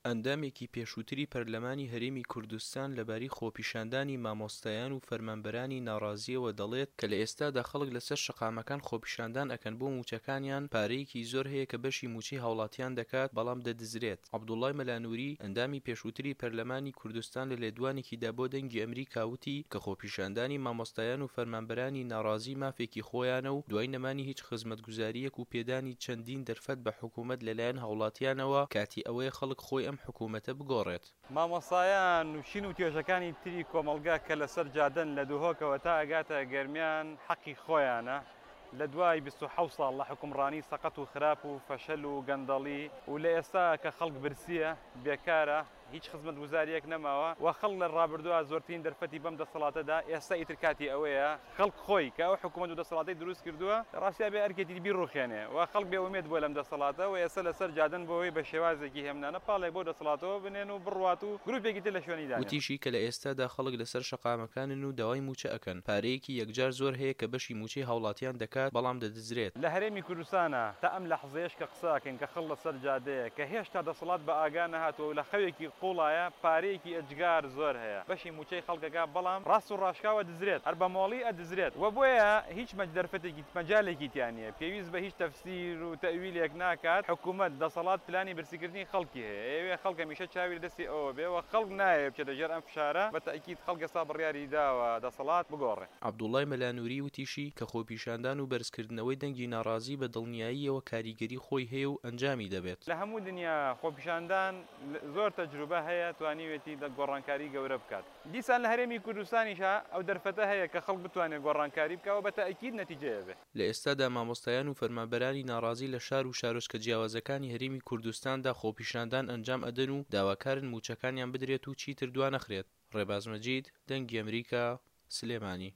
ئەندامێکی پێشووتری پەرلەمانی هەرێمی کوردستان لەبارەی خۆپیشاندانی مامۆستایان و فەرمانبەرانی ناڕازییەوە دەڵێت کە لە ئێستادا خەڵک لەسەر شەقامەکان خۆپیشاندان ئەکەن بۆ مووچەکانیان، پارەیەکی زۆر هەیە کە بەشی مووچەی هاوڵاتیان دەکات بەڵام دەدزرێت. عەبدوڵای مەلا نوری، ئەندامی پێشووتری پەرلەمانی کوردستان لە لێدوانێکیدا بۆ دەنگی ئەمریکا وتی کە خۆپیشاندانی مامۆستایان و فەرمانبەرانی ناڕازی مافێکی خۆیانە و دوای نەمانی هیچ خزمەتگوزارییەک و پێدانی چەندین دەرفەت بە حکومەت لەلایەن هاوڵاتیانەوە کاتی ئەوەیە خەڵک خۆی ئەم حکومەتە بگۆڕێت. مامۆستایان و چین و توێژەکانی تری کۆمەڵگە کە لەسەر جادەن لە دهۆکەوە تا ئەگاتە گەرمیان حەقی خۆیانە لە دوای 27 ساڵ لە حوکمڕانی سەقەت و خراپ و فەشەل و گەندەڵی و لە ئێستا کە خەڵک برسیە بێکارە هیچ خزمەتگوزاریەک نەماوە و خەڵک لە ڕابردووا زۆرترین دەرفەتی بەم دەسەڵاتە دا، ئێستا ئیتر کاتی ئەوەیە خەڵک خۆی کە ئەو حکومەت و دەسەڵاتەی دروست کردووە لە ڕاستیا بێ ئەرکێتی بیڕوخێنێ و خەڵک بێ ئومێد بووە لەم دەسەڵاتە و ئێستا لەسەر جادەن بۆ ئەوەی بە شێوازێکی هێمنانە پاڵێک بەو دەسەڵاتەوە بنێن و بڕوات و گروپێکی تر لە شوێنی دانێن. وتیشی کە لە ئێستادا خەڵک لەسەر شەقامەکانن و داوای مووچە ئەکەن، پارەیەکی یەکجار زۆر هەیە کە بەشی مووچەی هاوڵاتیان دەکات بەڵام دەدزرێت. لە هەرێمی کوردستانا تا ئەم لەحزەیەش کە قسە ئەکەین کە خەڵک لەسەر جادەیە کە هێشتا دەسەڵات بە ئاگا نەهاتووە و لە خەوێکی قوڵایە پارەیەکی ئێجگار زۆر هەیە بەشی موچەی خەڵک ئەکا بەڵام ڕاست و ڕاشکاو ئەدزرێت هەر بە مۆڵی ئەدزرێت و بۆیە هیچ مەج دەرفەتێکی مەجالێکی تیا نیە پێویست بە هیچ تەفسیر و تەئویلێک ناکات حکومەت دەسەڵات پلانی برسیکردنی خەڵکی هەیە ئەیەوێ خەڵک هەمیشە چاوی لە دەستی ئەوە بێ و خەڵک نایەوێ بچێتە ژێر ئەم فشارە بە تەئکید خەڵک ئێستا بڕیاری داوە دەسەڵات بگۆڕێ. عەبدوڵای مەلا نوری وتیشی کە خۆپیشاندان و بەرزکردنەوەی دەنگی ناڕازی بە دڵنیاییەوە کاریگەری خۆی هەیە و ئەنجامی دەبێت. لە هەموو دنیا خۆپیشاندان زۆر تەجروبە هەیە توانیوێتی گۆڕانکاری گەورە بکات. دیسان لە هەرێمی کوردستانیشا ئەو دەرفەتە هەیە کە خەڵک بتوانێت گۆڕانکاری بکا و بە تەئکید نەتیجەی ئەبێ. لە ئێستادا مامۆستایان و فەرمانبەرانی ناڕازی لە شار و شارۆچکە جیاوازەکانی هەرێمی کوردستاندا خۆپیشاندان ئەنجام ئەدەن و داواکارن مووچەکانیان بدرێت و چیتر دوانەخرێت. ڕێباز مەجید، دەنگی ئەمریکا، سلێمانی.